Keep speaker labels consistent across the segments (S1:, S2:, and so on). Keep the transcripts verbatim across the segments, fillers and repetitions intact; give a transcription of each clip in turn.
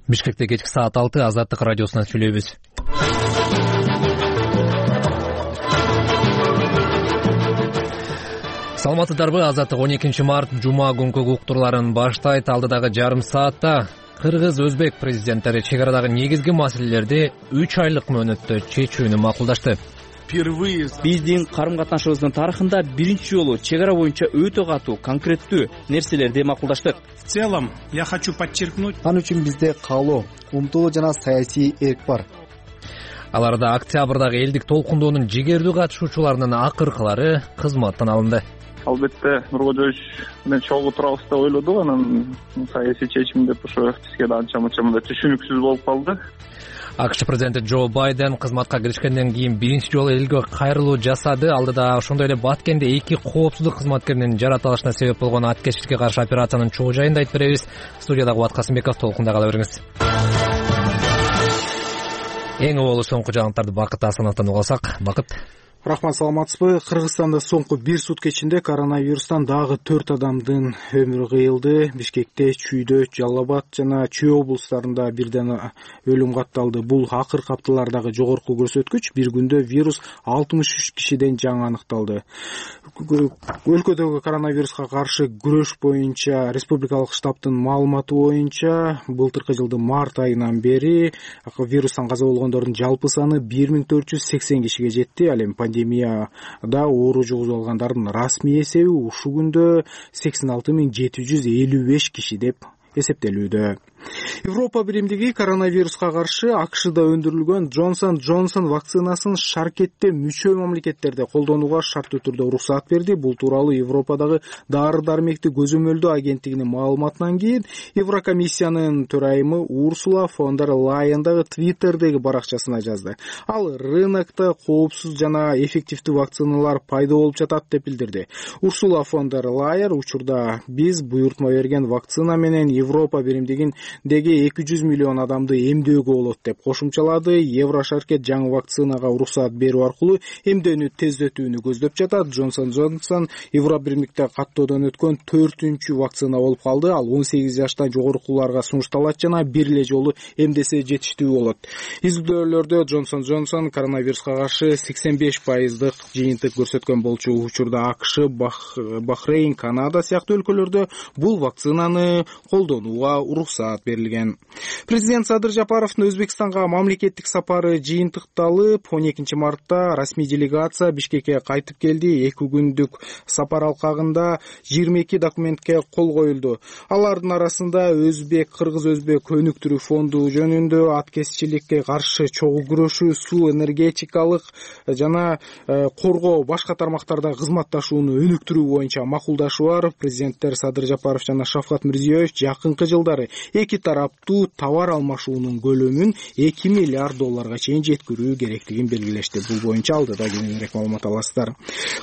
S1: Бишкекте кечки саат алты Азаттык радиосунан сүйлөйбүз. Саламатсыздарбы? Азаттык он экинчи март жума күнкү уктурларын баштайт. Алдыдагы жарым саатта кыргыз, өзбек президенттери чек арадагы негизги маселелерди үч айлык мөөнөттө чечүүнү макулдашты.
S2: Биздин карым-катнашыбыздын тарыхында биринчи жолу чек ара боюнча өтө катуу, конкреттүү нерселерди макулдаштык.
S3: В целом, я хочу подчеркнуть,
S4: ал үчүн бизде каалоо, умтулуу жана саясий эрк бар.
S1: Аларда октябрдагы элдик толкундоонун жигердүү катышуучуларынын акыркылары кызматтан алынды.
S5: Албетте Нуркожоевич менен чогуу турабыз деп ойлодук, анан саясий чечим деп ошо бизге да анча мынча мындай түшүнүксүз болуп калды.
S1: АКШ президенти Джо Байден кызматка киришкенден кийин биринчи жолу элге кайрылуу жасады. Алдыда ошондой эле Баткенде эки коопсуздук кызматкеринин жаратылышына себеп болгон аткечтикке каршы операциянын чогуу жайында айтып беребиз. Студияда Кубат Касымбеков, толкунда кала бериңиз. Эң оболу соңку жаңылыктарды Бакыт Асановдон угуп алсак. Бакыт.
S6: Рахмат, саламатсызбы? Кыргызстанда соңку бир сутка ичинде коронавирустан дагы төрт адамдын өмүрү кыйылды. Бишкекте, Чүйдө, Жалал Абад жана Чүй облустарында бирден өлүм катталды. Бул акыркы апталардагы жогорку көрсөткүч. Бир күндө вирус алтымыш үч кишиден жаңы аныкталды. Өлкөдөгү коронавируска каршы күрөш боюнча республикалык штабтын маалыматы боюнча былтыркы жылдын март айынан бери вирустан каза болгондордун жалпы саны бир миң төрт жүз сексен кишиге жетти. Ал эми пандемияда оору жугузуп алгандардын расмий эсеби ушул күндө сексен алты миң жети жүз элүү беш киши деп эсептелүүдө. Европа биримдиги коронавируска каршы АКШда өндүрүлгөн Джонсон Джонсон вакцинасын шаркетте мүчө мамлекеттерде колдонууга шарттуу түрдө уруксаат берди. Бул тууралуу Европадагы дары-дармекти көзөмөлдөө агенттигинин маалыматынан кийин Еврокомиссиянын төрайымы Урсула фон дер Лайен дагы Твиттердеги баракчасына жазды. Ал рынокто коопсуз жана эффективдүү вакциналар пайда болуп жатат деп билдирди. Урсула фон дер Лайен учурда биз буйртма берген вакцина менен Европа биримдигин деги эки жүз миллион адамды эмдөөгө болот деп кошумчалады. Еврошаркет жаңы вакцинага уруксаат берүү аркылуу эмдөөнү тездетүүнү көздөп жатат. Джонсон Джонсон Европа биримдикте каттоодон өткөн төртүнчү вакцина болуп калды. Ал он сегиз жаштан жогорукуларга сунушталат жана бир эле жолу эмдесе жетиштүү болот. Изилдөөлөрдө Джонсон Джонсон коронавируска каршы сексен беш пайыздык жыйынтык көрсөткөн болчу. Учурда АКШ, Бахрейн, Канада сыяктуу өлкөлөрдө бул вакцинаны колдонууга уруксаат берилген. Президент Садыр Жапаровдун Өзбекстанга мамлекеттик сапары жыйынтыкталып, он экинчи мартта расмий делегация Бишкекке кайтып келди. эки күндүк сапар алкагында жыйырма эки документке кол коюлду. Алардын арасында өзбек, кыргыз-өзбек өнүктүрүү фонду жөнүндө, аткезчиликке каршы чогуу күрөшүү, суу, энергетикалык жана коргоо башка тармактарда кызматташууну өнүктүрүү боюнча макулдашуу бар. Президенттер Садыр Жапаров жана Шавкат Мирзиёев жакынкы жылдары эки тараптуу товар алмашуунун көлөмүн эки миллиард долларга чейин жеткирүү керектигин белгилешти. Бул боюнча алдыда кененирээк маалымат аласыздар.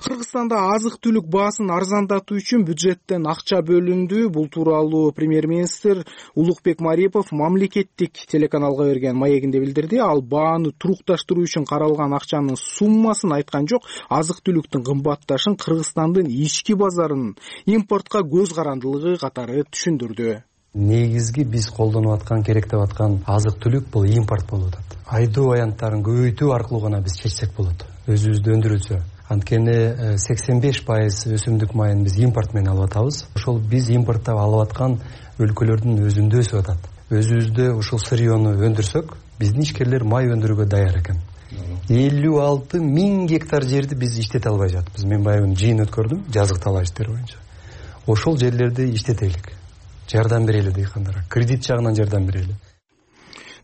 S6: Кыргызстанда азык-түлүк баасын арзандатуу үчүн бюджеттен акча бөлүндү. Бул тууралуу премьер-министр Улукбек Марипов мамлекеттик телеканалга берген маегинде билдирди. Ал бааны турукташтыруу үчүн каралган акчанын суммасын айткан жок. Азык-түлүктүн кымбатташын Кыргызстандын ички базарынын импортко көз карандылыгы катары түшүндүрдү.
S7: Негизги биз колдонуп аткан, керек деп аткан азык-түлүк бул импорт болуп атат. Айдоо аянттарын көбөйтүү аркылуу гана биз чечсек болот. Өзүбүздө өндүрүлсө. Анткени сексен беш пайыз өсүмдүк майын биз импорт менен алып атабыз. Ошол биз импорттап алып аткан өлкөлөрдүн өзүндө өсүп атат. Өзүбүздө ушул сырьёну өндүрсөк, биздин ишкерлер май өндүрүүгө даяр экен. элүү алты миң гектар жерди биз иштете албай жатабыз. Мен баягы жыйын өткөрдүм, жазык талаа иштери боюнча. Ошол жерлерди иштетелик. Жардам берели дыйкандарга, кредит жагынан жардам берели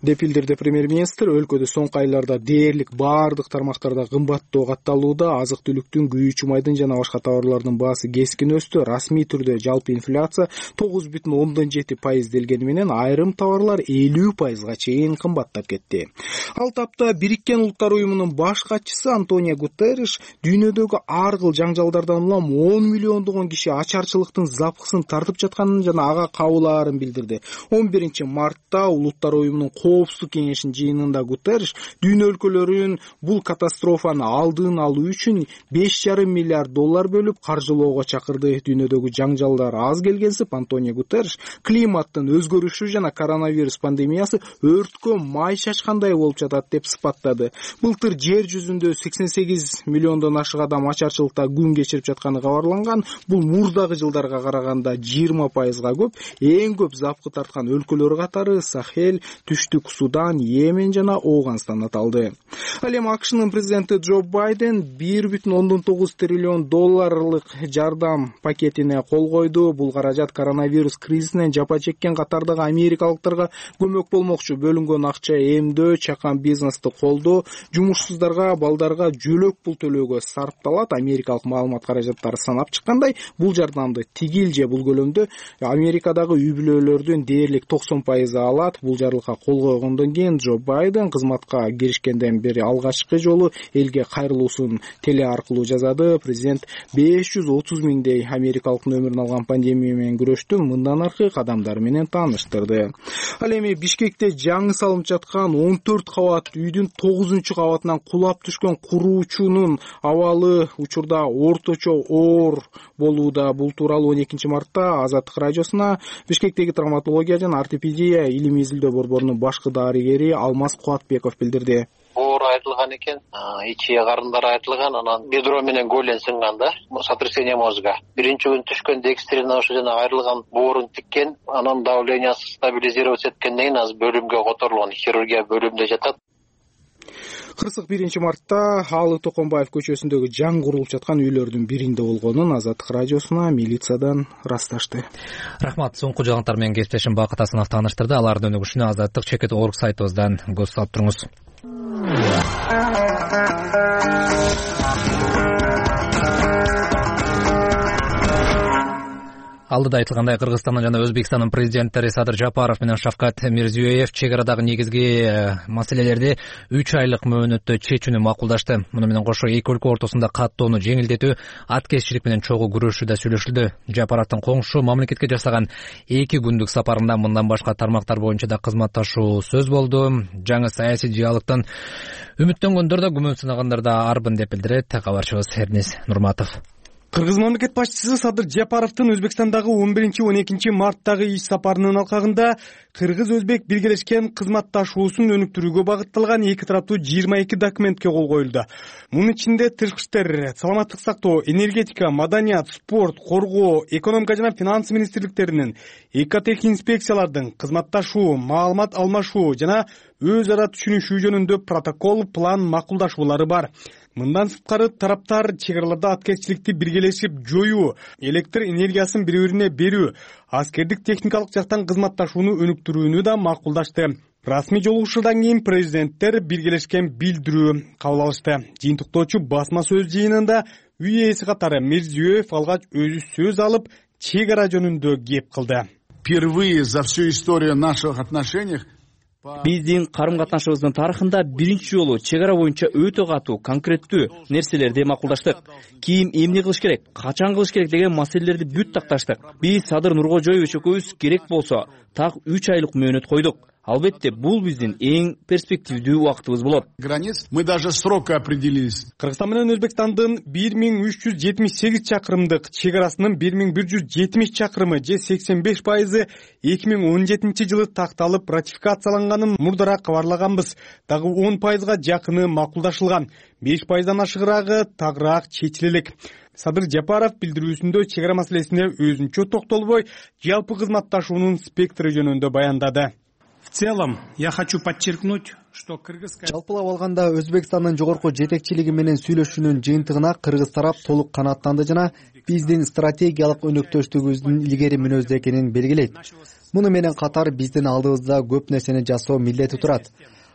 S6: деп билдирди премьер-министр. Өлкөдө соңку айларда дээрлик баардык тармактарда кымбаттоо катталууда. Азык-түлүктүн, күйүүчү майдын жана башка товарлардын баасы кескин өстү. Расмий түрдө жалпы инфляция тогуз бүтүн ондон жети пайыз делгени менен айрым товарлар элүү пайызга чейин кымбаттап кетти. Ал тапта Бириккен Улуттар уюмунун баш катчысы Антонио Гутерриш дүйнөдөгү ар кыл жаңжалдардан улам он миллиондогон киши ачарчылыктын запкысын тартып жатканын жана ага кабыл алаарын билдирди. он биринчи мартта Улуттар уюмунун коопсуздук кеңешинин жыйынында Гутерриш дүйнө өлкөлөрүн бул катастрофаны алдын алуу үчүн беш жарым миллиард доллар бөлүп каржылоого чакырды. Дүйнөдөгү жаңжалдар аз келгенсип, Антонио Гутерриш климаттын өзгөрүшү жана коронавирус пандемиясы өрткө май чачкандай болуп жатат деп сыпаттады. Былтыр жер жүзүндө сексен сегиз миллиондон ашык адам ачарчылыкта күн кечирип жатканы кабарланган. Бул мурдагы жылдарга караганда жыйырма пайызга көп. Эң көп запкы тарткан өлкөлөр катары Сахель, Түштүк Судан, Йемен жана Ооганстан аталды. Ал эми АКШнын президенти Джо Байден бир бүтүн ондон тогуз триллион долларлык жардам пакетине кол койду. Бул каражат коронавирус кризисинен жапа чеккен катардагы америкалыктарга көмөк болмокчу. Бөлүнгөн акча эмдөө, чакан бизнести колдоо, жумушсуздарга, балдарга жөлөк пул төлөөгө сарпталат. Америкалык маалымат каражаттары санап чыккандай, бул жардамды тигил же бул көлөмдө Америкадагы үй-бүлөлөрдүн дээрлик токсон пайызы алат. Бул жарлыкка кол койгондон кийин Джо Байден кызматка киришкенден бери алгачкы жолу элге кайрылуусун теле аркылуу жазады. Президент беш жүз отуз миңдей америкалыктын өмүрүн алган пандемия менен күрөштүн мындан аркы кадамдары менен тааныштырды. Ал эми Бишкекте жаңы салынып жаткан он төрт кабат үйдүн тогузунчу кабатынан кулап түшкөн куруучунун абалы учурда орточо оор болууда. Бул тууралуу он экинчи мартта Азаттык радиосуна Бишкектеги травматология жана ортопедия илимий изилдөө борборунун башкы дарыгери Алмаз Кубатбеков билдирди.
S8: Оор айтылган экен, ичи карындары айтылган, анан бедро менен голен сынган да, сотрясение мозга. Биринчи күн түшкөндө экстренно ошо жана айрылган боорун тиккен, анан давлениясы стабилизироваться эткенден кийин азыр бөлүмгө которулган, хирургия бөлүмүндө жатат.
S6: Кырсык биринчи мартта Алы Токонбаев көчөсүндөгү жаңы курулуп жаткан үйлөрдүн биринде болгонун Азаттык радиосуна милициядан ырасташты.
S1: Рахмат. Соңку жаңылыктар менен кесиптешим Бакыт Асанов тааныштырды. Алардын өнүгүшүнө Азаттык чекит точка орг сайтыбыздан көз салып туруңуз. Алдыда айтылгандай, Кыргызстандын жана Өзбекстандын президенттери Садыр Жапаров менен Шавкат Мирзиёев чек арадагы негизги маселелерди үч айлык мөөнөттө чечүүнү макулдашты. Муну менен кошо эки өлкө ортосунда каттоону жеңилдетүү, аткезчилик менен чогуу күрөшүү да сүйлөшүлдү. Жапаровдун коңшу мамлекетке жасаган эки күндүк сапарында мындан башка тармактар боюнча да кызматташуу сөз болду. Жаңы саясий диалогтон үмүттөнгөндөр да, күмөн сынагандар да арбын деп билдирет кабарчыбыз Эрнис Нурматов.
S9: Кыргыз мамлекет башчысы Садыр Жапаровдун Өзбекстандагы он биринчи он экинчи марттагы иш сапарынын алкагында кыргыз-өзбек биргелешкен кызматташуусун өнүктүрүүгө багытталган эки тараптуу жыйырма эки документке кол коюлду. Мунун ичинде тышкы иштер, саламаттык сактоо, энергетика, маданият, спорт, коргоо, экономика жана финанс министрликтеринин, экотех-инспекциялардын кызматташуу, маалымат алмашуу жана өз ара түшүнүшүү жөнүндө протокол, план макулдашуулары бар. Мындан сырткары тараптар чек араларда аткезчиликти биргелешип жоюу, электр энергиясын бири-бирине берүү, аскердик техникалык жактан кызматташууну өнүктүрүүнү да макулдашты. Расмий жолугушуудан кийин президенттер биргелешкен билдирүү кабыл алышты. Жыйынтыктоочу басма сөз жыйынында үй ээси катары Мирзиёев алгач өзү сөз алып, чек ара жөнүндө кеп кылды.
S10: Впервые за всю историю наших отношений
S2: Биздин карым-катнашыбыздын тарыхында биринчи жолу чек ара боюнча өтө катуу, конкреттүү нерселерди макулдаштык. Ким эмне кылыш керек, качан кылыш керек деген маселелерди бүт такташтык. Биз Садыр Нуркожоевич экөөбүз керек болсо так үч айлык мөөнөт койдук. Албетте, бул биздин эң перспективдүү убактыбыз болот.
S10: Границ мы даже срока определились.
S9: Кыргызстан менен Өзбекстандын бир миң үч жүз жетимиш сегиз чакырымдык чек арасынын бир миң бир жүз жетимиш чакырымы же сексен беш пайызы эки миң он жетинчи жылы такталып ратификацияланганын мурдараак кабарлаганбыз. Дагы он пайызга жакыны макулдашылган, беш пайыздан ашыгыраагы тагыраак чечиле элек. Садыр Жапаров билдирүүсүндө чек ара маселесине өзүнчө токтолбой, жалпы кызматташуунун спектрі жөнүндө баяндады.
S3: В целом, я хочу подчеркнуть, что кыргызская...
S4: Жалпылап алганда Өзбекстандын жогорку жетекчилиги менен сүйлөшүүнүн жыйынтыгына кыргыз тарап толук канааттанды жана биздин стратегиялык өнөктөштүгүбүздүн илгери мүнөздө экенин белгилейт. Муну менен катар биздин алдыбызда көп нерсени жасоо милдети турат.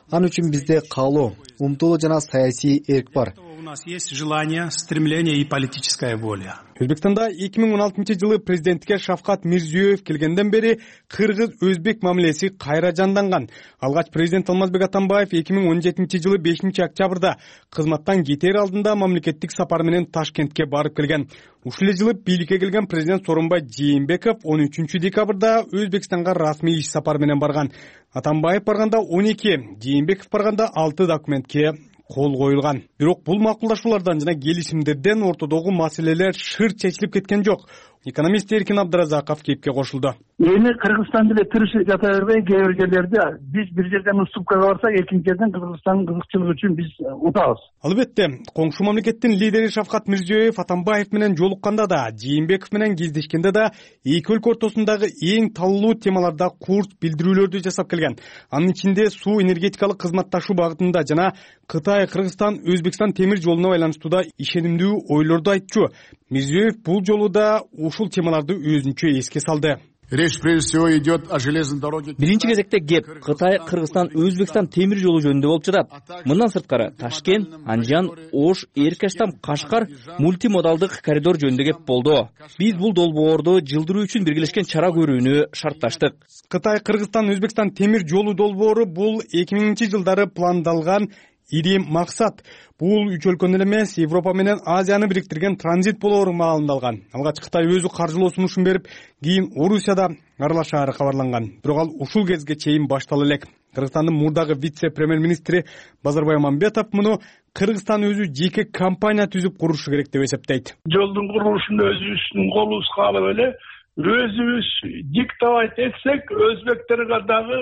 S4: Ал үчүн бизде каалоо, умтулуу жана саясий эрк бар.
S3: у нас есть желание, стремление и политическая воля.
S9: Өзбекстанда эки миң он алтынчы жылы президентке Шавкат Мирзиёев келгенден бери кыргыз-өзбек мамилеси кайра жанданган. Алгач президент Алмазбек Атамбаев эки миң он жетинчи жылы бешинчи октябрда кызматтан кетер алдында мамлекеттик сапар менен Ташкентке барып келген. Ушул эле жылы бийликке келген президент Сооронбай Жээнбеков он үчүнчү декабрда Өзбекстанга расмий иш сапар менен барган. Атамбаев барганда он эки, Жээнбеков барганда алты документке кол коюлган. Бирок бул макулдашуулардан жана келишимдерден ортодогу маселелер шыр чечилип кеткен жок. Экономист Эркин Абдыразаков кепке кошулду.
S11: Эми Кыргызстан деле тырышып жата бербей, кээ бир жерлерде биз бир жерден уступкага барсак, экинчи жерден Кыргызстандын кызыкчылыгы үчүн биз утабыз.
S9: Албетте, коңшу мамлекеттин лидери Шавкат Мирзиёев Атамбаев менен жолукканда да, Жээнбеков менен кездешкенде да эки өлкө ортосундагы эң талуу темаларда курс билдирүүлөрдү жасап келген. Анын ичинде суу энергетикалык кызматташуу багытында жана Кытай, Кыргызстан, Өзбекстан темир жолуна байланыштуу да ишенимдүү ойлорду айтчу. Мирзиёев бул жолу да ушул темаларды өзүнчө эске салды.
S10: Речь прежде всего идет о железной дороге.
S2: Биринчи кезекте кеп Кытай, Кыргызстан, Өзбекстан темир жолу жөнүндө болуп жатат. Мындан сырткары Ташкент, Анжан, Ош, Эркаштам, Кашкар мультимодалдык коридор жөнүндө кеп болду. Биз бул долбоорду жылдыруу үчүн биргелешкен чара көрүүнү шартташтык.
S9: Кытай, Кыргызстан, Өзбекстан темир жолу долбоору бул эки миңинчи жылдары пландалган ири максат. Бул үч өлкөнү эмес, Европа менен Азияны бириктирген транзит болоору маалындалган. Алгач Кытай өзү каржылоо сунушун берип, кийин Орусияда аралашаары кабарланган. Бирок ал ушул кезге чейин баштала элек. Кыргызстандын мурдагы вице-премьер-министри Базарбай Мамбетов муну Кыргызстан өзү жеке компания түзүп курушу керек деп эсептейт.
S11: Жолдун курулушун өзүбүздүн колубузга алып эле өзүбүз диктовать этсек, өзбектерге дагы,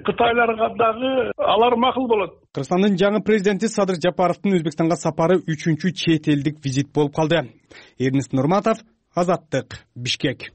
S11: кытайларга дагы алар макул болот.
S9: Кыргызстандын жаңы президенти Садыр Жапаровдун Өзбекстанга сапары үчүнчү чет элдик визит болуп калды. Эрнест Нурматов, Азаттык, Бишкек.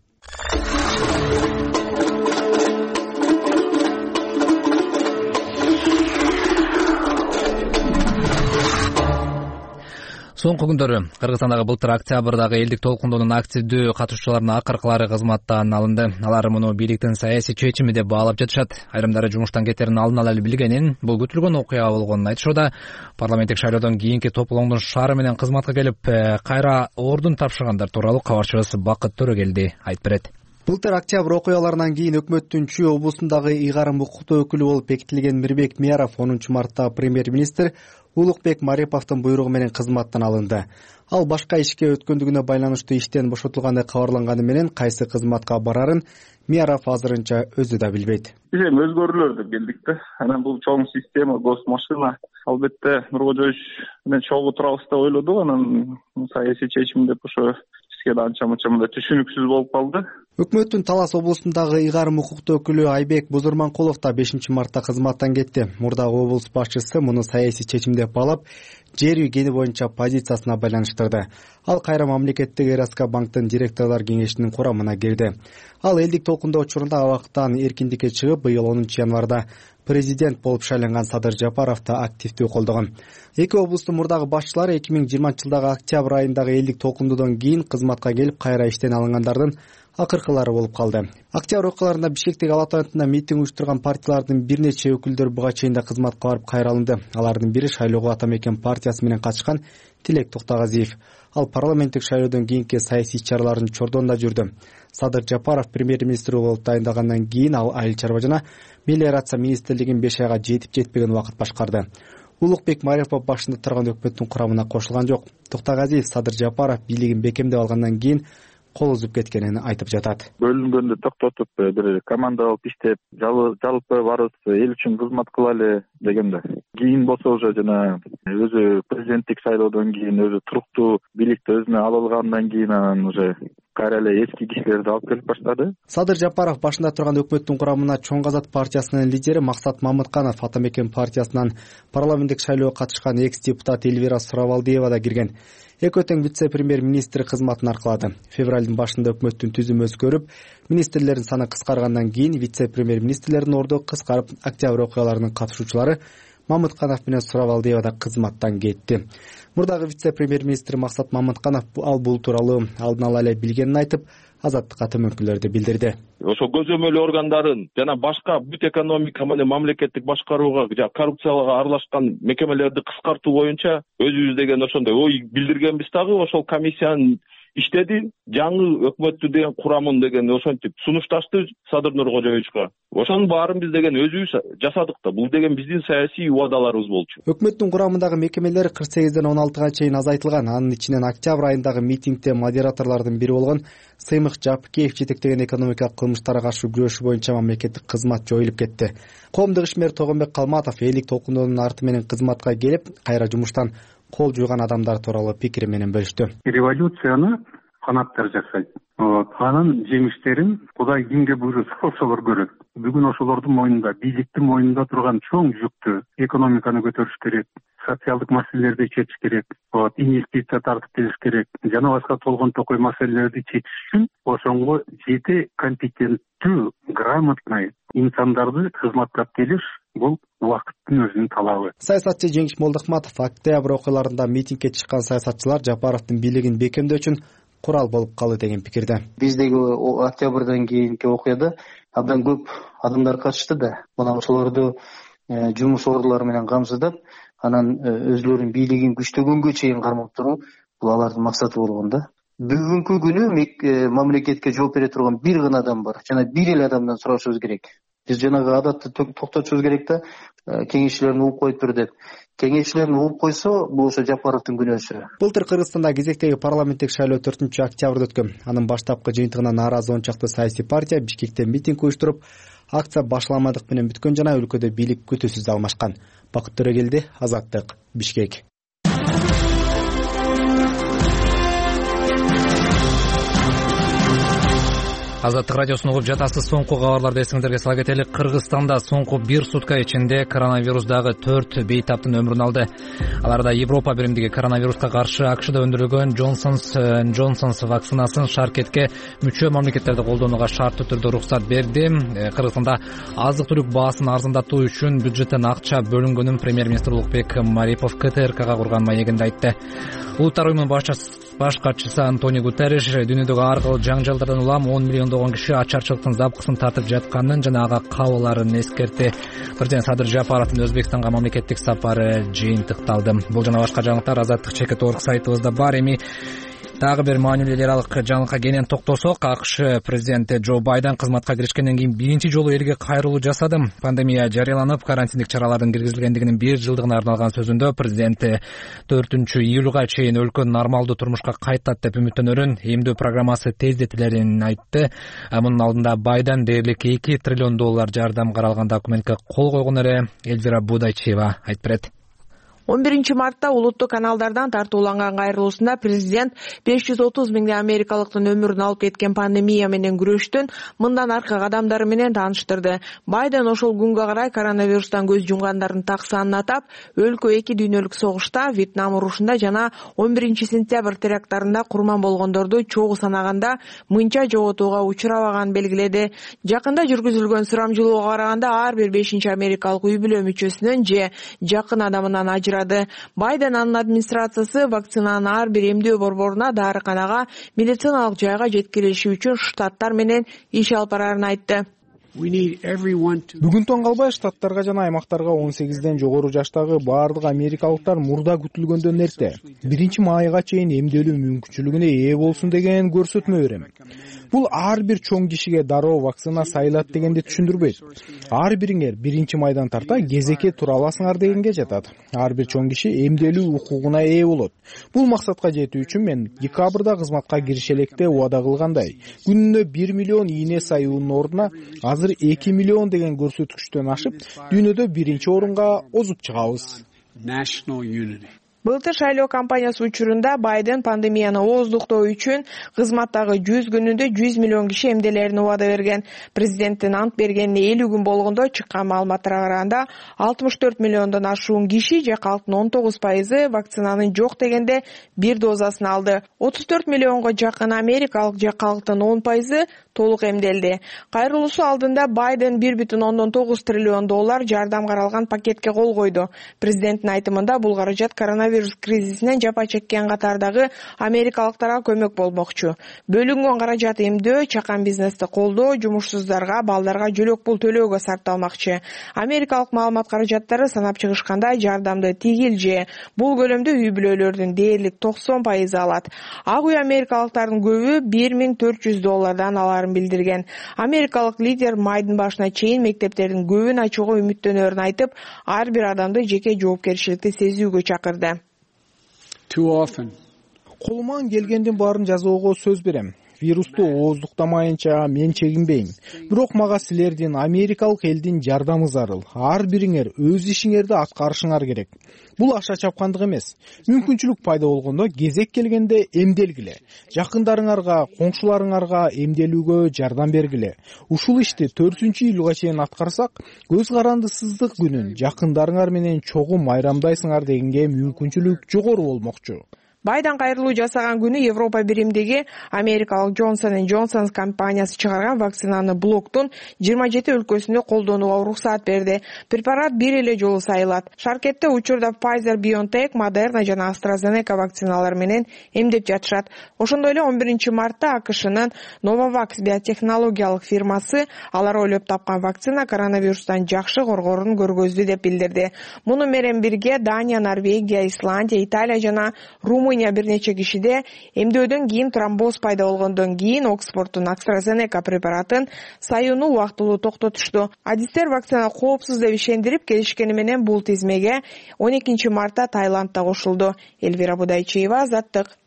S1: Соңку күндөрү Кыргызстандагы былтыр октябрдагы элдик толкундоонун активдүү катышуучуларынын акыркылары кызматтан алынды. Алар муну бийликтин саясий чечими деп баалап жатышат. Айрымдары жумуштан кетерин алын ала эле билгенин, бул күтүлгөн окуя болгонун айтышууда. Парламенттик шайлоодон кийинки тополоңдун шаары менен кызматка келип, кайра ордун тапшыргандар тууралуу кабарчыбыз Бакыт Төрөгелди айтып берет.
S4: Былтыр октябрь окуяларынан кийин өкмөттүн Чүй облусундагы ыйгарым укуктуу өкүлү болуп бекитилген Мирбек Мияров онунчу марттагы премьер-министр Улукбек Мариповдун буйругу менен кызматтан алынды. Ал башка ишке өткөндүгүнө байланыштуу иштен бошотулгандай кабарланганы менен кайсы кызматка барарын Мияров азырынча өзү да билбейт.
S5: Биз эми өзгөрүүлөр деп келдик да. Анан бул чоң система, госмашина. Албетте Нуркожоевич менен чогуу турабыз деп ойлодук. Анан саясий чечим деп ошо бизге да анча мынча мындай түшүнүксүз болуп калды.
S4: Өкмөттүн Талас облусундагы ыйгарым укуктуу өкүлү Айбек Бузурманкулов да бешинчи мартта кызматтан кетти. Мурдагы облус башчысы муну саясий чечим деп баалап, жер үй кени боюнча позициясына байланыштырды. Ал кайра мамлекеттик РСК банктын директорлор кеңешинин курамына кирди. Ал элдик толкундоо учурунда абактан эркиндикке чыгып, быйыл онунчу январда президент болуп шайланган Садыр Жапаровду активдүү колдогон. Эки облустун мурдагы башчылары эки миң жыйырманчы жылдагы октябрь айындагы элдик толкундоодон кийин кызматка келип, кайра иштен алынгандардын акыркылары болуп калды. Октябрь окуяларында Бишкектеги Ала Тоянтында митинг уюштурган партиялардын бир нече өкүлдөрү буга чейин да кызматка барып кайра алынды. Алардын бири шайлоого Атамекен партиясы менен катышкан Тилек Токтогазиев. Ал парламенттик шайлоодон кийинки саясий иш-чаралардын чордонунда жүрдү. Садыр Жапаров премьер-министр болуп дайындагандан кийин ал айыл чарба жана мелиорация министрлигин беш айга жетип жетпеген убакыт башкарды. Улукбек Марипов башында турган өкмөттүн курамына кошулган жок. Токтогазиев Садыр Жапаров бийлигин бекемдеп алгандан кийин кол үзүп кеткенин айтып жатат.
S5: Бөлүнгөндө токтотуп, бир команда алып иштеп, жалпы барыбыз эл үчүн кызмат кылалы дегенде. Кийин болсо уже жана өзү президенттик шайлоодон кийин өзү туруктуу бийликти өзүнө ала алгандан кийин анан уже кайра эле эски кишилерди алып келип баштады.
S4: Садыр Жапаров башында турган өкмөттүн курамына Чоң Казат партиясынын лидери Максат Мамытканов, Атамекен партиясынан парламенттик шайлоого катышкан экс-депутат Эльвира Суравалдиева да кирген. Экөө тең вице-премьер-министр кызматын аркалады. Февралдын башында өкмөттүн түзүмү өзгөрүп, министрлердин саны кыскаргандан кийин вице-премьер-министрлердин орду кыскарып, октябрь окуяларынын катышуучулары Мамытканов менен Суравалдиева да кызматтан кетти. Мурдагы вице-премьер-министр Максат Мамытканов ал бул тууралуу алдын ала эле билгенин айтып, Азаттыкка төмөнкүлөрдү билдирди.
S12: Ошо көзөмөл органдарын жана башка бүт экономика менен мамлекеттик башкарууга коррупцияга аралашкан мекемелерди кыскартуу боюнча өзүбүз деген ошондой ой билдиргенбиз дагы. Ошол комиссиянын иштеди, жаңы өкмөттү деген курамын деген ошентип сунушташты Садыр Нуркожоевичке. Ошонун баарын биз деген өзүбүз жасадык да. Бул деген биздин саясий убадаларыбыз болчу.
S4: Өкмөттүн курамындагы мекемелер кырк сегизден он алтыга чейин азайтылган. Анын ичинен октябрь айындагы митингде модераторлордун бири болгон Сыймык Жапыкеев жетектеген экономикалык кылмыштарга каршы күрөшүү боюнча мамлекеттик кызмат жоюлуп кетти. Коомдук ишмер Тогонбек Калматов элдик толкундоонун арты менен кызматка келип, кайра жумуштан кол жууган адамдар тууралуу пикири менен бөлүштү.
S13: Революцияны канаттар жасайт. Анын жемиштерин Кудай кимге буйруса ошолор көрөт. Бүгүн ошолордун мойнунда, бийликтин мойнунда турган чоң жүктү экономиканы көтөрүш керек, социалдык маселелерди чечиш керек, инвестиция тартып келиш керек, жана башка толгон токой маселелерди чечиш үчүн ошонго жети компетенттүү, грамотный инсандарды кызматка келиш бул убакыттын өзүнүн талабы.
S4: Саясатчы Жеңиш Молдохматов октябрь окуяларында митингге чыккан саясатчылар Жапаровдун бийлигин бекемдөө үчүн курал болуп калды деген пикирде.
S14: Биздеги октябрдан кийинки окуяда абдан көп адамдар катышты да. Мына ошолорду жумуш ордулары менен камсыздап, анан өзлөрүнүн бийлигин күчтөгөнгө чейин кармап туруу бул алардын максаты болгон да. Бүгүнкү күнү мамлекетке жооп бере турган бир гана адам бар. Жана бир эле адамдан сурашыбыз керек. Биз жанагы адатты токтотушубуз керек да, кеңешчилерин угуп коюптур деп. Кеңешчилерин угуп койсо, бул ошо Жапаровдун күнөөсү.
S4: Былтыр Кыргызстанда кезектеги парламенттик шайлоо төртүнчү октябрда өткөн. Анын баштапкы жыйынтыгына нааразы он чакты саясий партия Бишкекте митинг уюштуруп, акция башламадык менен бүткөн жана өлкөдө бийлик күтүүсүз алмашкан. Бакыт Төрөгелди, Азаттык, Бишкек.
S1: Азаттык радиосун угуп жатасыз. Соңку кабарларды эсиңиздерге сала кетели. Кыргызстанда соңку бир сутка ичинде коронавирусдагы төрт бейтаптын өмүрүн алды. Аларда Европа биримдиги коронавируска каршы АКШда өндүрүлгөн Джонсонс Джонсонс вакцинасын шаркетке мүчө мамлекеттерде колдонууга шарттуу түрдө уруксат берди. Кыргызстанда азык-түлүк баасын арзандатуу үчүн бюджеттен акча бөлүнгөнүн премьер-министр Улукбек Марипов КТРКга курган маегинде айтты. Улуттар уюмунун баш катчысы Антонио Гутерриш дүйнөдөгү ар кыл жаңжалдардан улам он миллиондогон киши ачарчылыктын запкысын тартып жатканын жана ага кабыларын эскертти. Президент Садыр Жапаровдун Өзбекстанга мамлекеттик сапары жыйынтыкталды. Бул жана башка жаңылыктар Азаттык чекит орг сайтыбызда бар. Эми дагы бир маанилүү эл аралык жаңылыкка кенен токтосок, АКШ президенти Джо Байден кызматка киришкенден кийин биринчи жолу элге кайрылуу жасады. Пандемия жарыяланып, карантиндик чаралардын киргизилгендигинин бир жылдыгына арналган сөзүндө президент төртүнчү июлга чейин өлкө нормалдуу турмушка кайтат деп үмүттөнөрүн, эмдөө программасы тездетилерин айтты. Мунун алдында Байден дээрлик эки триллион доллар жардам каралган документке кол койгон эле. Эльвира Будайчева айтып берет.
S15: он биринчи мартта улуттук каналдардан тартууланган кайрылуусунда президент беш жүз отуз миңдей америкалыктын өмүрүн алып кеткен пандемия менен күрөштүн мындан аркы кадамдары менен тааныштырды. Байден ошол күнгө карай коронавирустан көз жумгандардын так санын атап, өлкө эки дүйнөлүк согушта, Вьетнам урушунда жана он биринчи сентябрь теракттарында курман болгондорду чогуу санаганда мынча жоготууга учурабаганын белгиледи. Жакында жүргүзүлгөн сурамжылоого караганда ар бир бешинчи америкалык үй бүлө мүчөсүнөн же жакын адамынан ажырады. Байден анын администрациясы вакцинанын ар бир эмдөө борборуна, дарыканага, медициналык жайга жеткирилиши үчүн штаттар менен иш алып барарын айтты.
S6: Бүгүн таң калбай штаттарга жана аймактарга он сегизден жогору жаштагы баардык америкалыктар мурда күтүлгөндөн эрте биринчи майга чейин эмдөлүү мүмкүнчүлүгүнө ээ болсун деген көрсөтмө берем. Бул ар бир чоң кишиге дароо вакцина сайылат дегенди түшүндүрбөйт. Ар бириңер биринчи майдан тарта кезекке тура аласыңар дегенге жатат. Ар бир чоң киши эмдөлүү укугуна ээ болот. Бул максатка жетүү үчүн мен декабрда кызматка кириши электе убада кылгандай, күнүнө бир миллион ийне саюунун ордуна азыр эки миллион деген көрсөткүчтөн ашып, дүйнөдө биринчи орунга озуп чыгабыз.
S15: Былтыр шайлоо кампаниясы учурунда Байден пандемияны ооздуктоо үчүн кызматтагы жүз күнүндө жүз миллион киши эмделерин убада берген. Президенттин ант бергенине элүү күн болгондо чыккан маалыматтарга караганда алтымыш төрт миллиондон ашуун киши же калктын он тогуз пайызы вакцинанын жок дегенде бир дозасын алды. отуз төрт миллионго жакын америкалык же калктын он пайызы толук эмделди. Кайрылуусу алдында Байден бир бүтүн ондон тогуз триллион доллар жардам каралган пакетке кол койду. Президенттин айтымында бул каражат коронавирус кризисинен жапа чеккен катардагы америкалыктарга көмөк болмокчу. Бөлүнгөн каражат эмдөө, чакан бизнести колдоо, жумушсуздарга, балдарга жөлөк пул төлөөгө сарпталмакчы. Америкалык маалымат каражаттары санап чыгышканда жардамды тигил же бул көлөмдө үй бүлөлөрдүн дээрлик токсон пайызы алат. Ак үй америкалыктардын көбү бир миң төрт жүз доллардан аларын билдирген. Америкалык лидер майдын башына чейин мектептердин көбүн ачууга үмүттөнөрүн айтып, ар бир адамды жеке жоопкерчиликти сезүүгө чакырды.
S6: Колуман келгендин баарын жасоого сөз берем. Вирусту ооздуктамайынча мен чегинбейм. Бирок мага силердин америкалык элдин жардамы зарыл. Ар бириңер өз ишиңерди аткарышыңар керек. Бул аша чапкандык эмес. Мүмкүнчүлүк пайда болгондо кезек келгенде эмделгиле. Жакындарыңарга, коңшуларыңарга эмделүүгө жардам бергиле. Ушул ишти төртүнчү июлга чейин аткарсак, көз карандысыздык күнүн жакындарыңар менен чогуу майрамдайсыңар дегенге мүмкүнчүлүк жогору болмокчу.
S15: Байден кайрылуу жасаган күнү Европа биримдиги америкалык Johnson энд Johnson компаниясы чыгарган вакцинаны блоктун жыйырма жети өлкөсүндө колдонууга уруксаат берди. Препарат бир эле жолу сайылат. Шаркетте учурда Pfizer, BioNTech, Moderna жана AstraZeneca вакциналары менен эмдеп жатышат. Ошондой эле он биринчи мартта АКШнын Novavax биотехнологиялык фирмасы алар ойлоп тапкан вакцина коронавирустан жакшы коргоорун көргөздү деп билдирди. Муну менен бирге Дания, Норвегия, Исландия, Италия жана Румыния бир нече кишиде эмдөөдөн кийин тромбоз пайда болгондон кийин Оксфорддун AstraZeneca препаратын сайууну убактылуу токтотушту. Адистер вакцина коопсуз деп ишендирип келишкени менен бул тизмеге он экинчи мартта Таиландда кошулду. Элвира Будайчиева, Азаттык.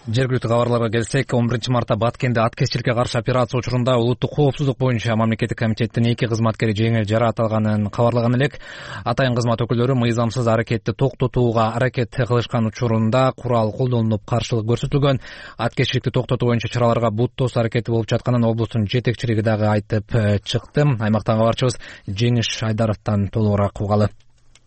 S1: Жергиликтүү кабарларга келсек, он биринчи мартта Баткенде аткезчиликке каршы операция учурунда улуттук коопсуздук боюнча мамлекеттик комитеттин эки кызматкери жеңил жаракат алганын кабарлаган элек. Атайын кызмат өкүлдөрү мыйзамсыз аракетти токтотууга аракет кылышкан учурунда курал колдонулуп каршылык көрсөтүлгөн. Аткезчиликти токтотуу боюнча чараларга бут тосуу аракети болуп жатканын облустун жетекчилиги дагы айтып чыкты. Аймактан кабарчыбыз Жеңиш Айдаровдон толугураак угалы.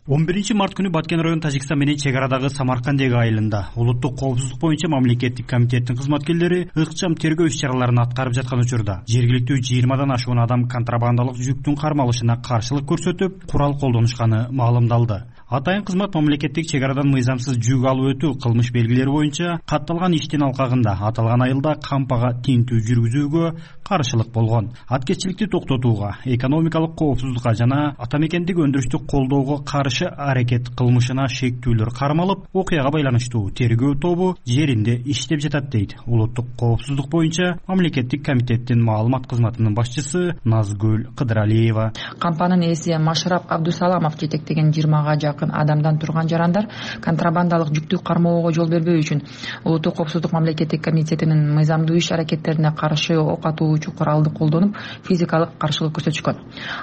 S16: он биринчи март күнү Баткен район Тажикстан менен чек арадагы Самаркандеги айылында улуттук коопсуздук боюнча мамлекеттик комитеттин кызматкерлери ыкчам тергөө иш-чараларын аткарып жаткан учурда жергиликтүү жыйырмадан ашуун адам контрабандалык жүктүн кармалышына каршылык көрсөтүп, курал колдонушканы маалымдалды. Атайын кызмат мамлекеттик чек арадан мыйзамсыз жүк алып өтүү кылмыш белгилери боюнча катталган иштин алкагында аталган айылда кампага тинтүү жүргүзүүгө каршылык болгон. Аткезчиликти токтотууга, экономикалык коопсуздукка жана ата мекендик өндүрүштү колдоого каршы аракет кылмышына шектүүлөр кармалып, окуяга байланыштуу тергөө тобу жеринде иштеп жатат дейт улуттук коопсуздук боюнча мамлекеттик комитеттин маалымат кызматынын башчысы Назгүл Кыдыралиева.
S17: Кампанын ээси Машрап Абдусаламов жетектеген жыйырмага жакын адамдан турган жарандар контрабандалык жүктү кармоого жол бербөө үчүн улуттук коопсуздук мамлекеттик комитетинин мыйзамдуу иш аракеттерине каршы ок атуучу куралды колдонуп, физикалык каршылык көрсөтүшкөн.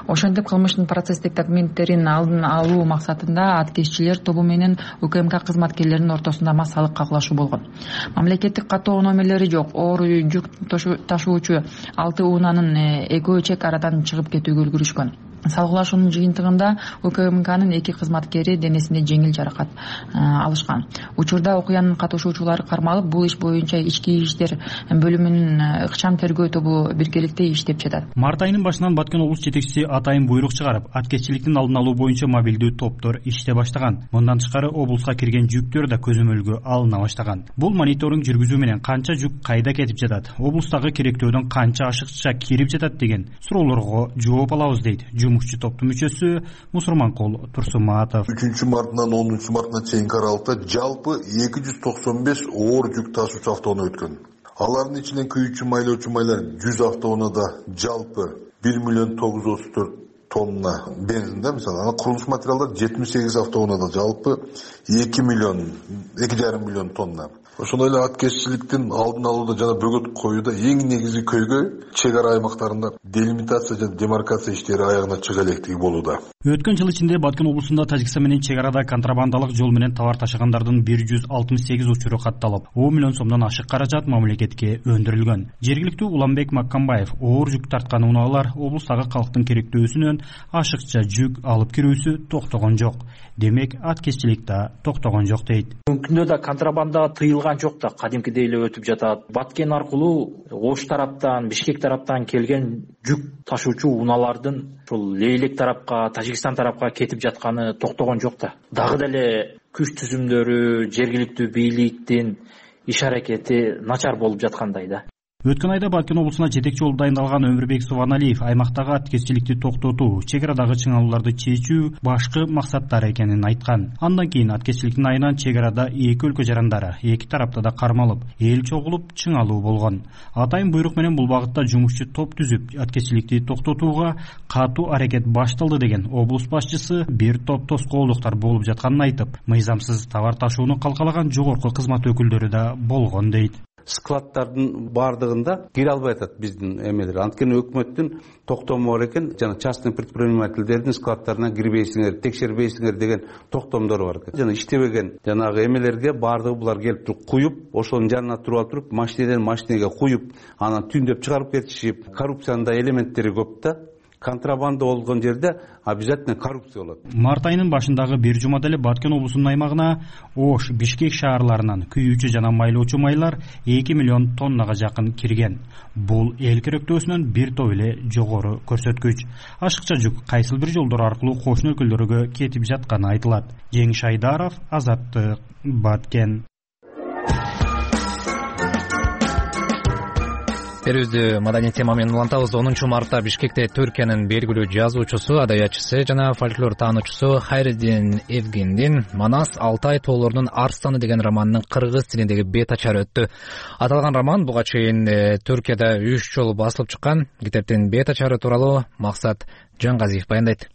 S17: Ошентип кылмыштын процесстик документтерин алдын алуу максатында аткезчилер тобу менен УКМК кызматкерлеринин ортосунда массалык кагылашуу болгон. Мамлекеттик каттоо номерлери жок оор жүк ташуучу алты унаанын экөө чек арадан чыгып кетүүгө үлгүрүшкөн. Салгылашуунун жыйынтыгында УКМКнын эки кызматкери денесине жеңил жаракат алышкан. Учурда окуянын катышуучулары кармалып, бул иш боюнча ички иштер бөлүмүнүн ыкчам тергөө тобу биргеликте иштеп жатат.
S16: Март айынын башынан Баткен облус жетекчиси атайын буйрук чыгарып, аткезчиликтин алдын алуу боюнча мобилдүү топтор иштей баштаган. Мындан тышкары облуска кирген жүктөр да көзөмөлгө алына баштаган. Бул мониторинг жүргүзүү менен канча жүк кайда кетип жатат, облустагы керектөөдөн канча ашыкча кирип жатат деген суроолорго жооп алабыз дейт жумушчу топтун мүчөсү Мусурманкул Турсуматов.
S18: үчүнчү мартынан онунчу мартына чейинки аралыкта жалпы эки жүз токсон беш оор жүк ташуучу автоунаа өткөн. Алардын ичинен күйүүчү майлоочу майлар жүз автоунаада жалпы бир миллион тогуз жүз отуз төрт тонна бензин да, мисалы, ана курулуш материалдар жетимиш сегиз автоунаада жалпы эки миллион, эки жарым миллион тонна. Ошондой эле аткезчиликтин алдын алууда жана бөгөт коюуда эң негизги көйгөй чек ара аймактарында делимитация жана демаркация иштери аягына чыга электиги болууда.
S16: Өткөн жыл ичинде Баткен облусунда Тажикстан менен чек арада контрабандалык жол менен товар ташыгандардын бир жүз алтымыш сегиз учуру катталып, он миллион сомдон ашык каражат мамлекетке өндүрүлгөн. Жергиликтүү Уламбек Маккамбаев оор жүк тарткан унаалар облустагы калктын керектөөсүнөн ашыкча жүк алып кирүүсү токтогон жок. Демек, аткезчилик да токтогон жок дейт.
S19: Мүмкүндө да контрабанда тыйылган
S2: жабылган жок да, кадимкидей эле өтүп жатат. Баткен аркылуу Ош тараптан, Бишкек тараптан келген жүк ташуучу унаалардын ушул Лейлек тарапка, Тажикстан тарапка кетип жатканы токтогон жок да. Дагы деле күч түзүмдөрү, жергиликтүү бийликтин иш аракети начар болуп жаткандай да.
S16: Өткөн айда Баткен облусуна жетекчи болуп дайындалган Өмүрбек Субаналиев аймактагы аткезчиликти токтотуу, чек арадагы чыңалууларды чечүү башкы максаттар экенин айткан. Андан кийин аткезчиликтин айынан чек арада эки өлкө жарандары эки тарапта да кармалып, эл чогулуп чыңалуу болгон. Атайын буйрук менен бул багытта жумушчу топ түзүп, аткезчиликти токтотууга катуу аракет башталды деген облус башчысы бир топ тоскоолдуктар болуп жатканын айтып, мыйзамсыз товар ташууну калкалаган жогорку кызмат өкүлдөрү да болгон дейт.
S19: Складдардын баардыгында кире албай атат биздин эмелер. Анткени өкмөттүн токтому бар экен, жана частный предпринимательдердин складдарына кирбейсиңер, текшербейсиңер деген токтомдору бар экен. Жана иштебеген жанагы эмелерге баардыгы булар келип туруп куюп, ошонун жанына туруп алып туруп, машинеден машинеге куюп, анан түндөп чыгарып кетишип, коррупциянын да элементтери көп да. Контрабанда болгон жерде обязательно коррупция болот.
S16: Март айынын башындагы бир жумада эле Баткен облусунун аймагына Ош, Бишкек шаарларынан күйүүчү жана майлоочу майлар эки миллион тоннага жакын кирген. Бул эл керектөөсүнөн бир топ эле жогору көрсөткүч. Ашыкча жүк кайсыл бир жолдор аркылуу кошуна өлкөлөргө кетип жатканы айтылат. Жеңиш Айдаров, Азаттык, Баткен.
S1: Берүүбүздү маданий тема менен улантабыз. онунчу мартта Бишкекте Түркиянын белгилүү жазуучусу, адаятчысы жана фольклор таануучусу Хайреддин Евгендин Манас Алтай тоолорунун Арстаны деген романынын кыргыз тилиндеги бет ачары өттү. Аталган роман буга чейин Түркияда үч жолу басылып чыккан. Китептин бет ачары тууралуу Максат Жангазиев баяндайт.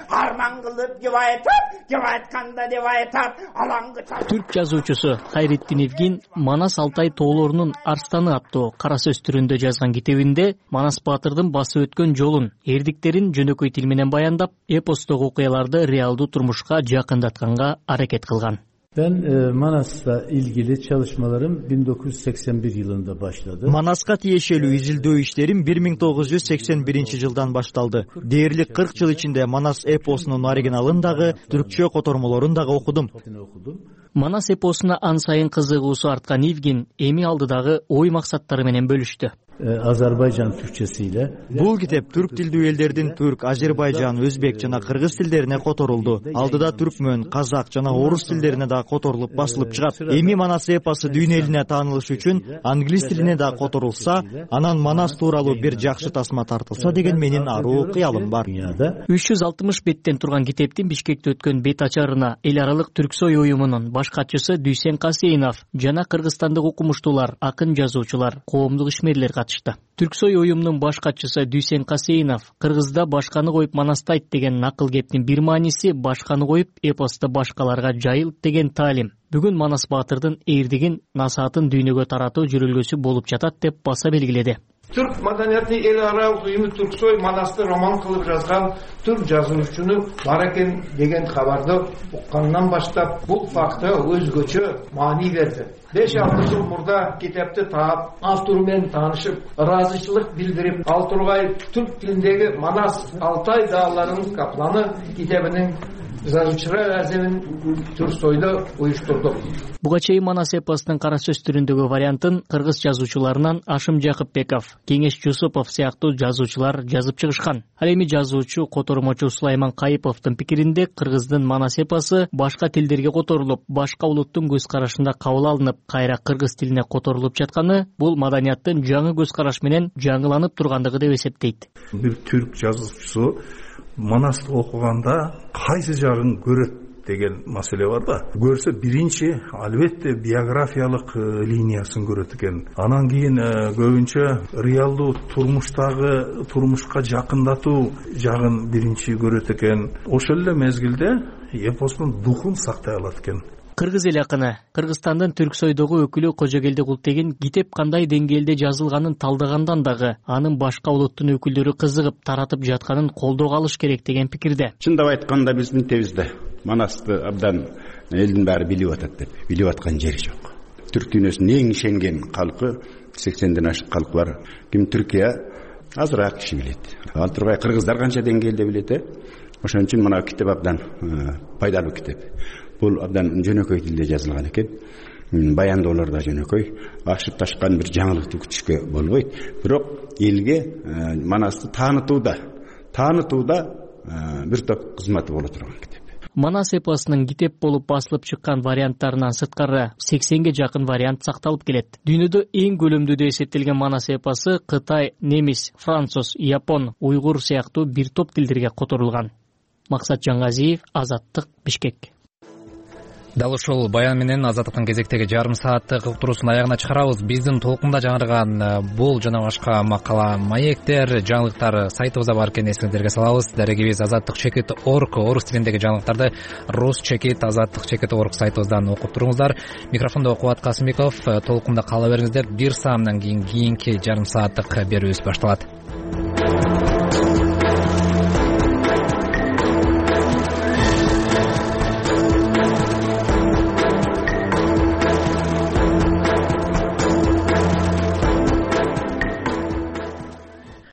S20: Арман кылып деп айтат, деп айтканда деп айтат, алаңгы.
S21: Түрк жазуучусу Хайреддин Евген Манас Алтай тоолорунун Арстаны аттуу кара сөз түрүндө жазган китебинде Манас баатырдын басып өткөн жолун, эрдиктерин жөнөкөй тил менен баяндап, эпостогу окуяларды реалдуу турмушка жакындатканга аракет кылган.
S22: Ben e, Manas'la ilgili çalışmalarım bin dokuz yüz seksen bir yılında başladı.
S23: Manaska tiyешелүү изилдөө иштерим bir ming тогуз жүз сексен биринчи жылдан башталды. Дээрлик кырк жыл ичинде Манас эпосунун оригиналын дагы, түркчө котормолорун дагы окудум.
S21: Манас эпосуна ан сайын кызыгуусу арткан Евген эми алдыдагы ой максаттары менен бөлүштү.
S22: Azerbaycan Türkçesiyle.
S23: Бул китеп түрк тилдүү элдердин түрк, Азербайжан, өзбек жана кыргыз тилдерине которулду. Алдыда түркмөн, казак жана орус тилдерине да которулуп басылып чыгат. Эми Манас эпосу дүйнө элине таанылыш үчүн англис тилине да которулса, анан Манас тууралуу бир жакшы тасма тартылса деген менин аруу кыялым бар.
S21: үч жүз алтымыш беттен турган китептин Бишкекте өткөн бет ачарына эл аралык Түрксой уюмунун баш катчысы Дүйсен Касейнов жана кыргызстандык окумуштуулар, акын жазуучулар, коомдук ишмерлер катышты. Түрксой уюмунун баш катчысы Дүйсен Касейнов кыргызда башканы коюп манастайт деген накыл кептин бир мааниси башканы коюп эпосто башкаларга жайылт деген таалим. Бүгүн Манас баатырдын эрдигин, насаатын дүйнөгө таратуу жүрүлгөсү болуп жатат деп баса белгиледи.
S24: Türk madaniyati el aralıq uyumu Türksoy Manas'ta roman kılıp yazgan Türk жазуучуну бар экен деген хабарды уккандан баштап бул факты өзгөчө маани берди. беш алты жыл мурда китепти таап, автору менен таанышып, ыраазычылык билдирип, ал тургай түрк тилиндеги Манас Алтай дааларынын капланы китебинин жазуучулар аземин Түрксойдо уюштурдук.
S21: Буга чейин Манас эпосунун кара сөз түрүндөгү вариантын кыргыз жазуучуларынан Ашым Жакыпбеков, Кеңеш Жусупов сыяктуу жазуучулар жазып чыгышкан. Ал эми жазуучу, котормочу Сулайман Кайыповдун пикиринде кыргыздын Манас эпосу башка тилдерге которулуп, башка улуттун көз карашында кабыл алынып, кайра кыргыз тилине которулуп жатканы бул маданияттын жаңы көз караш менен жаңыланып тургандыгы деп эсептейт.
S25: Бир түрк жазуучусу Манасты окуганда кайсы жагын көрөт деген маселе бар да. Көрсө биринчи албетте биографиялык линиясын көрөт экен. Анан кийин көбүнчө реалдуу турмуштагы турмушка жакындатуу жагын биринчи көрөт экен. Ошол эле мезгилде эпостун духун сактай алат экен.
S21: Кыргыз эл акыны Кыргызстандын Түрксойдогу өкүлү Кожогелди Култеген китеп кандай деңгээлде жазылганын талдагандан дагы анын башка улуттун өкүлдөрү кызыгып таратып жатканын колдоого алыш керек деген пикирде.
S26: Чындап айтканда биздин тебизде Манасты абдан элдин баары билип атат деп, билип аткан жери жок. Түрк дүйнөсүнүн эң ишенген калкы сексенден ашык калк бар. Ким Түркия азыраак киши билет. Ал тургай кыргыздар канча деңгээлде билет э? Ошон үчүн мына китеп абдан пайдалуу китеп. Бул абдан жөнөкөй тилде жазылган экен. баяндоолор да жөнөкөй, ашып ташкан бир жаңылыкты күтүшкө болбойт. Бирок элге Манасты таанытууда таанытууда бир топ кызматы боло турган китеп.
S21: Манас эпосунун китеп болуп басылып чыккан варианттарынан сырткары сексенге жакын вариант сакталып келет. Дүйнөдө эң көлөмдүү эсептелген Манас эпосу Кытай, немис, француз, япон, уйгур сыяктуу бир топ тилдерге которулган. Максат Жаңгазиев, Азаттык, Бишкек. Дал ушул баян менен Азаттыктын кезектеги жарым сааттык уктуруусун аягына чыгарабыз. Биздин толкунда жаңырган бул жана башка макала, маектер, жаңылыктар сайтыбызда бар экенин эсиңиздерге салабыз. Дарегибиз азаттык чекит точка орг, орус тилиндеги жаңылыктарды рус чекит азаттык чекит точка орг сайтыбыздан окуп туруңуздар. Микрофондо Кубат Касымбеков, толкунда кала бериңиздер. Бир саамдан кийин кийинки жарым сааттык берүүбүз башталат.